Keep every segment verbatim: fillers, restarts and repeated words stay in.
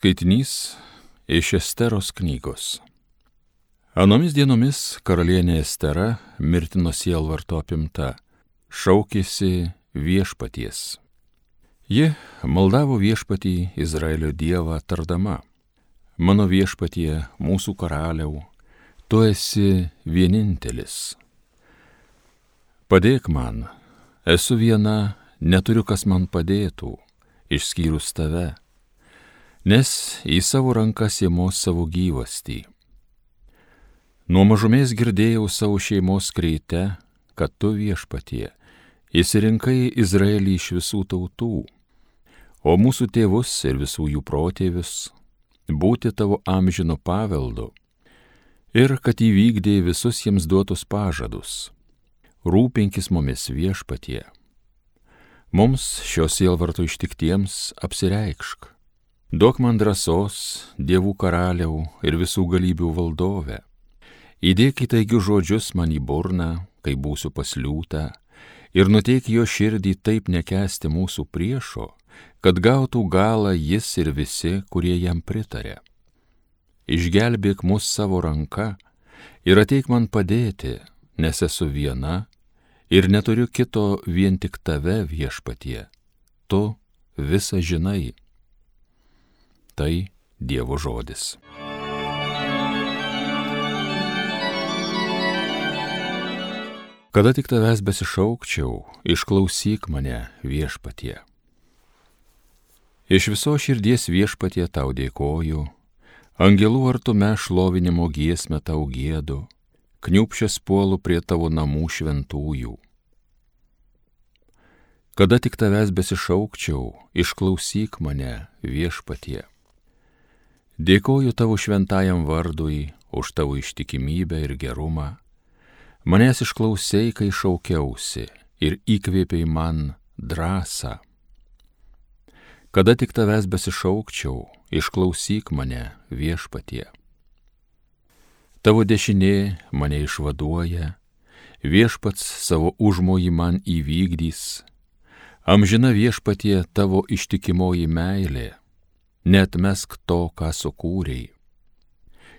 Skaitinys iš Esteros knygos. Anomis dienomis karalienė Estera, mirtino sielvarto apimta, šaukėsi viešpaties. Ji maldavo viešpatį Izraelio dievą tardama: Mano viešpatie, mūsų karaliau, tu esi vienintelis. Padėk man, esu viena, neturiu kas man padėtų, išskyrus tave, nes į savo rankas ėmos savo gyvastį. Nuo mažumės girdėjau savo šeimos kreite, kad tu, viešpatie, išsirinkai Izraelį iš visų tautų, o mūsų tėvus ir visų jų protėvius būti tavo amžino paveldu, ir kad įvykdė visus jiems duotus pažadus. Rūpinkis mumis, viešpatie. Mums šios sielvarto ištiktiems apsireikšk. Duok man drąsos, dievų karaliau ir visų galybių valdove. Įdėk įtaigius žodžius man į burną, kai būsiu pasliūta, ir nuteik jo širdį taip nekęsti mūsų priešo, kad gautų galą jis ir visi, kurie jam pritarė. Išgelbėk mus savo ranka ir ateik man padėti, nes esu viena ir neturiu kito vien tik tave, viešpatie. Tu visą žinai. Tai Dievo žodis. Kada tik tavęs besišaukčiau, išklausyk mane, viešpatie. Iš viso širdies, viešpatie, tau dėkoju, angelų artume šlovinimo giesmę tau giedu, kniūpsčias puolu prie tavo namų šventųjų. Kada tik tavęs besišaukčiau, išklausyk mane, viešpatie. Dėkoju tavo šventajam vardui už tavo ištikimybę ir gerumą. Manęs išklausei, kai šaukiausi, ir įkvėpei man drąsą. Kada tik tavęs besišaukčiau, išklausyk mane, viešpatie. Tavo dešinė mane išvaduoja, viešpats savo užmojį man įvykdys. Amžina, viešpatie, tavo ištikimoji meilė, neatmesk to, ką sukūrei.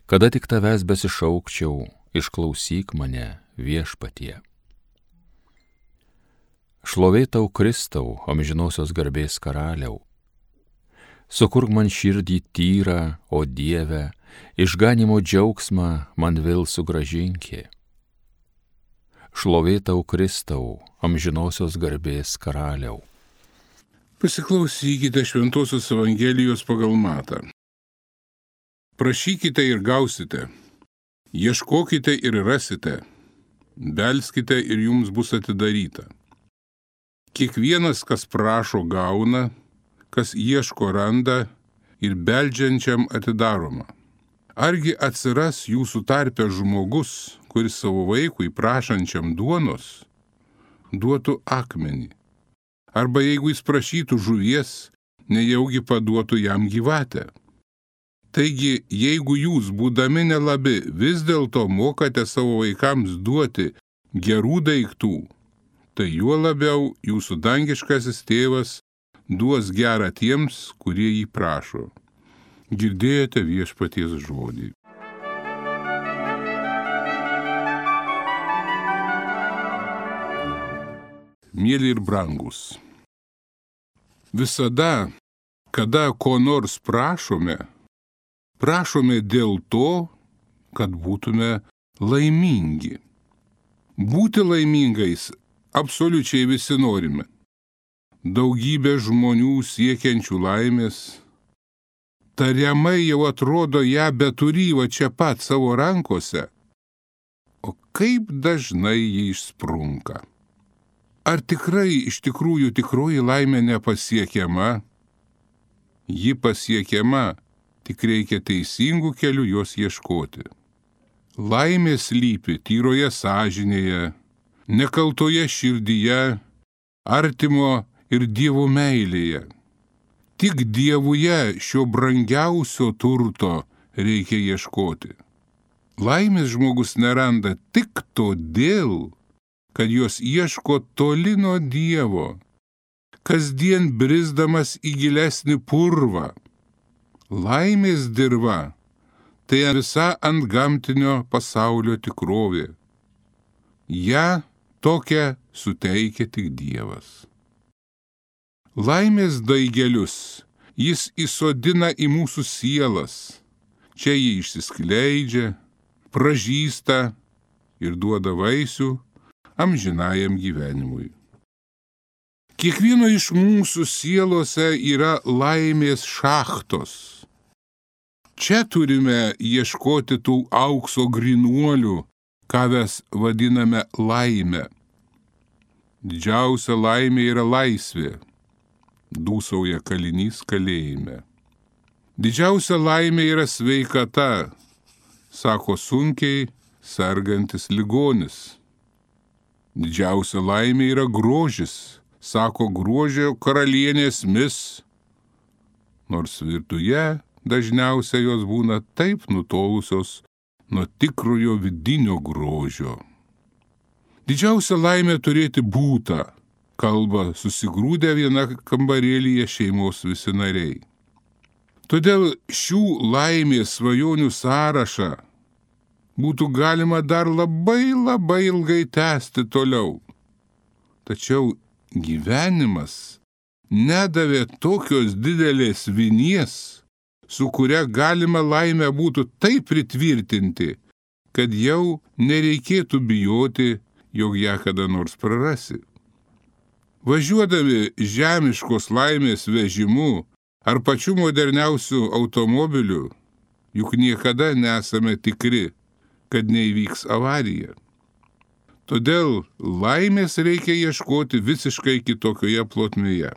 Kada tik tavęs besišaukčiau, išklausyk mane, viešpatie. Šlovė tau, Kristau, amžinosios garbės karaliau. Sukurk man širdį tyrą, o Dieve, išganimo džiaugsmą man vėl sugrąžinki. Šlovė tau, Kristau, amžinosios garbės karaliau. Pasiklausykite Šventosios Evangelijos pagal Matą. Prašykite ir gausite, ieškokite ir rasite, belskite ir jums bus atidaryta. Kiekvienas, kas prašo, gauna, kas ieško, randa, ir beldžiančiam atidaroma. Argi atsiras jūsų tarpe žmogus, kuris savo vaikui prašančiam duonos duotų akmenį? Arba jeigu jis prašytų žuvies, nejaugi paduotų jam gyvatę? Taigi, jeigu jūs, būdami nelabi, vis dėlto mokate savo vaikams duoti gerų daiktų, tai juo labiau jūsų dangiškasis tėvas duos gerą tiems, kurie jį prašo. Girdėjote viešpaties žodį. Mieli ir brangus, visada, kada ko nors prašome, prašome dėl to, kad būtume laimingi. Būti laimingais absoliučiai visi norime. Daugybė žmonių siekiančių laimės, tariamai jau atrodo ją beturį va čia pat savo rankose, o kaip dažnai ji išsprunka. Ar tikrai iš tikrųjų tikroji laimė nepasiekiama? Ji pasiekiama, tik reikia teisingų kelių jos ieškoti. Laimė slypi tyroje sąžinėje, nekaltoje širdyje, artimo ir Dievo meilėje. Tik Dievuje šio brangiausio turto reikia ieškoti. Laimės žmogus neranda tik todėl, kad jos ieško toli nuo Dievo, kasdien brisdamas į gilesnį purvą. Laimės dirva – tai visa antgamtinio pasaulio tikrovė. Ja tokią suteikia tik Dievas. Laimės daigelius jis įsodina į mūsų sielas. Čia jie išsiskleidžia, pražysta ir duoda vaisių amžinajam gyvenimui. Kiekvieno iš mūsų sielose yra laimės šachtos. Čia turime ieškoti tų aukso grynuolių, ką mes vadiname laime. Didžiausia laimė yra laisvė, dūsauja kalinys kalėjime. Didžiausia laimė yra sveikata, sako sunkiai sergantis ligonis. Didžiausia laimė yra grožis, sako grožio karalienės mis, nors virtuje dažniausiai jos būna taip nutolusios nuo tikrojo vidinio grožio. Didžiausia laimė turėti būtą, kalba susigrūdę viena kambarėlyje šeimos visi nariai. Todėl šių laimės svajonių sąrašą būtų galima dar labai labai ilgai tęsti toliau. Tačiau gyvenimas nedavė tokios didelės vinies, su kuria galima laimę būtų taip pritvirtinti, kad jau nereikėtų bijoti, jog ją kada nors prarasi. Važiuodami žemiškos laimės vežimu ar pačiu moderniausiu automobiliu, juk niekada nesame tikri, kad neįvyks avarija. Todėl laimės reikia ieškoti visiškai kitokioje plotmėje.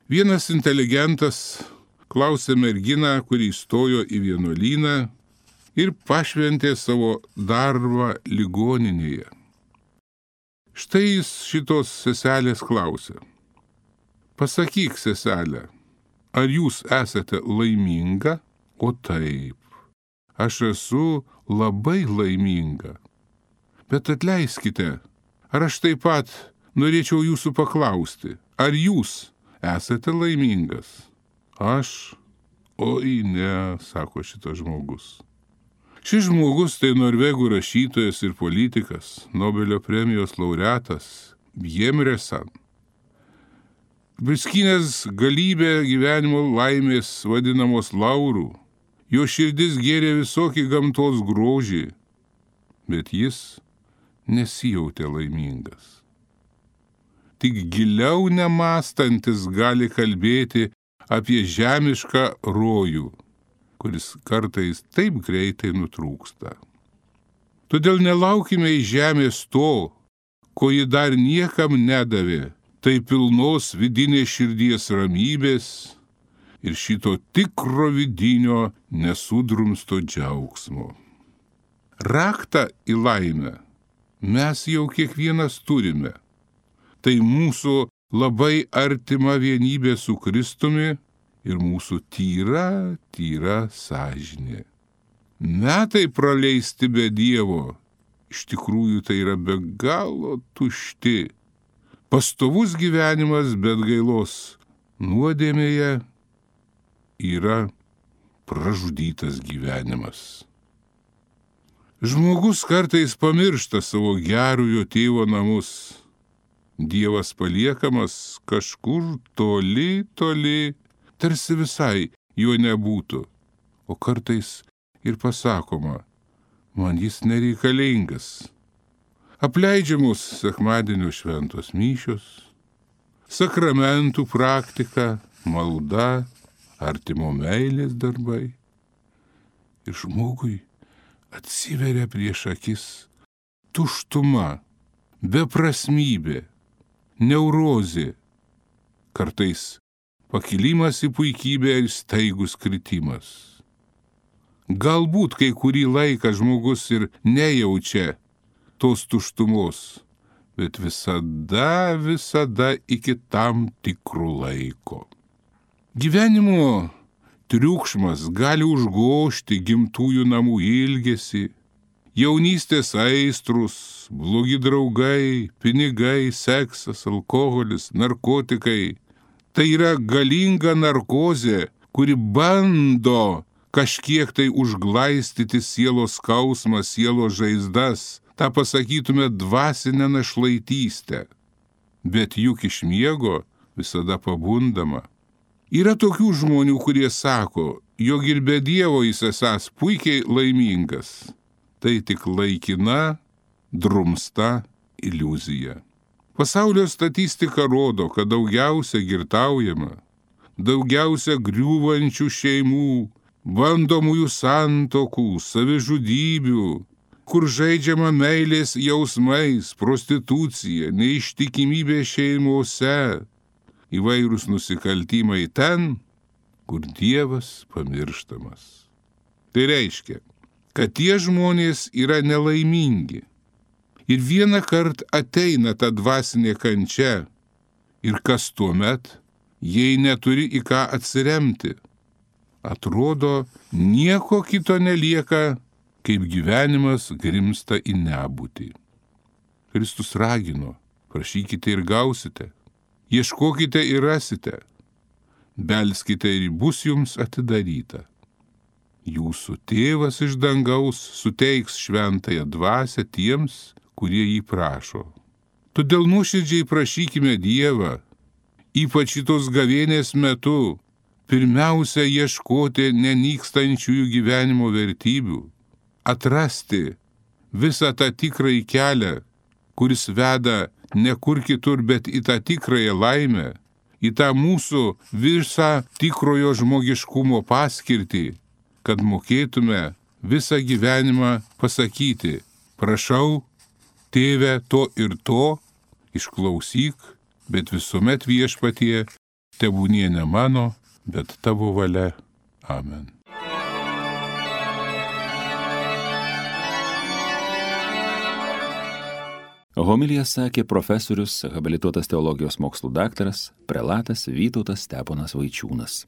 Vienas inteligentas klausė merginą, kuri įstojo į vienuolyną ir pašventė savo darbą ligoninėje. Štai jis šitos seselės klausė. Pasakyk, seselė, ar jūs esate laiminga? O taip, aš esu labai laiminga. Bet atleiskite, ar aš taip pat norėčiau jūsų paklausti, ar jūs esate laimingas? Aš? Oi ne, sako šitas žmogus. Šis žmogus tai norvegų rašytojas ir politikas, Nobelio premijos laureatas, Bjemresan. Priskynęs galybę gyvenimo laimės vadinamos laurų, jo širdis gėrė visokį gamtos grožį, bet jis nesijautė laimingas. Tik giliau nemąstantis gali kalbėti apie žemišką rojų, kuris kartais taip greitai nutrūksta. Todėl nelaukime iš žemės to, ko ji dar niekam nedavė, tai pilnos vidinės širdies ramybės ir šito tikro vidinio nesudrumsto džiaugsmo. Raktą į laimę mes jau kiekvienas turime. Tai mūsų labai artima vienybė su Kristumi ir mūsų tyra, tyra sąžinė. Metai praleisti be Dievo, iš tikrųjų tai yra be galo tušti. Pastovus gyvenimas, bet gailos nuodėmėje yra pražudytas gyvenimas. Žmogus kartais pamiršta savo gerojo tėvo namus. Dievas paliekamas kažkur toli, toli, tarsi visai jo nebūtų, o kartais ir pasakoma, man jis nereikalingas. Apleidžiamos sekmadienio šventos mišios, sakramentų praktika, malda, artimo meilės darbai. Ir žmogui atsiveria prieš akis tuštuma, beprasmybė, neurozė, kartais pakilimas į puikybę ir staigus kritimas. Galbūt kai kurį laiką žmogus ir nejaučia tos tuštumos, bet visada, visada iki tam tikrų laiko. Gyvenimo triukšmas gali užgožti gimtųjų namų ilgesį, jaunystės aistrus, blogi draugai, pinigai, seksas, alkoholis, narkotikai. Tai yra galinga narkozė, kuri bando kažkiek tai užglaistyti sielos skausmą, sielos žaizdas, tą pasakytume dvasinę našlaitystę. Bet juk iš miego visada pabundama. Yra tokių žmonių, kurie sako, jog ir be Dievo jis esąs puikiai laimingas. Tai tik laikina, drumsta iliuzija. Pasaulio statistika rodo, kad daugiausia girtaujama, daugiausia griūvančių šeimų, bandomųjų santokų, savižudybių, kur žaidžiama meilės jausmais, prostitucija, neištikimybė šeimose, įvairūs nusikaltimai ten, kur Dievas pamirštamas. Tai reiškia, kad tie žmonės yra nelaimingi. Ir vieną kartą ateina ta dvasinė kančia. Ir kas tuomet, jei neturi į ką atsiremti? Atrodo, nieko kito nelieka, kaip gyvenimas grimsta į nebūtį. Kristus ragino, prašykite ir gausite, ieškokite ir rasite, belskite ir bus jums atidaryta. Jūsų tėvas iš dangaus suteiks šventąją dvasią tiems, kurie jį prašo. Todėl nuoširdžiai prašykime Dievą, ypač šitos gavėnės metu, pirmiausia ieškoti nenykstančiųjų gyvenimo vertybių, atrasti visą tą tikrąjį kelią, kuris veda ne kur kitur, bet į tą tikrąją laimę, į tą mūsų visą tikrojo žmogiškumo paskirtį, kad mokėtume visą gyvenimą pasakyti, prašau, Tėve, to ir to, išklausyk, bet visuomet Viešpatie, tebūnie ne mano, bet tavo valia. Amen. Homiliją sakė profesorius, habilituotas teologijos mokslų daktaras, prelatas Vytautas Steponas Vaičiūnas.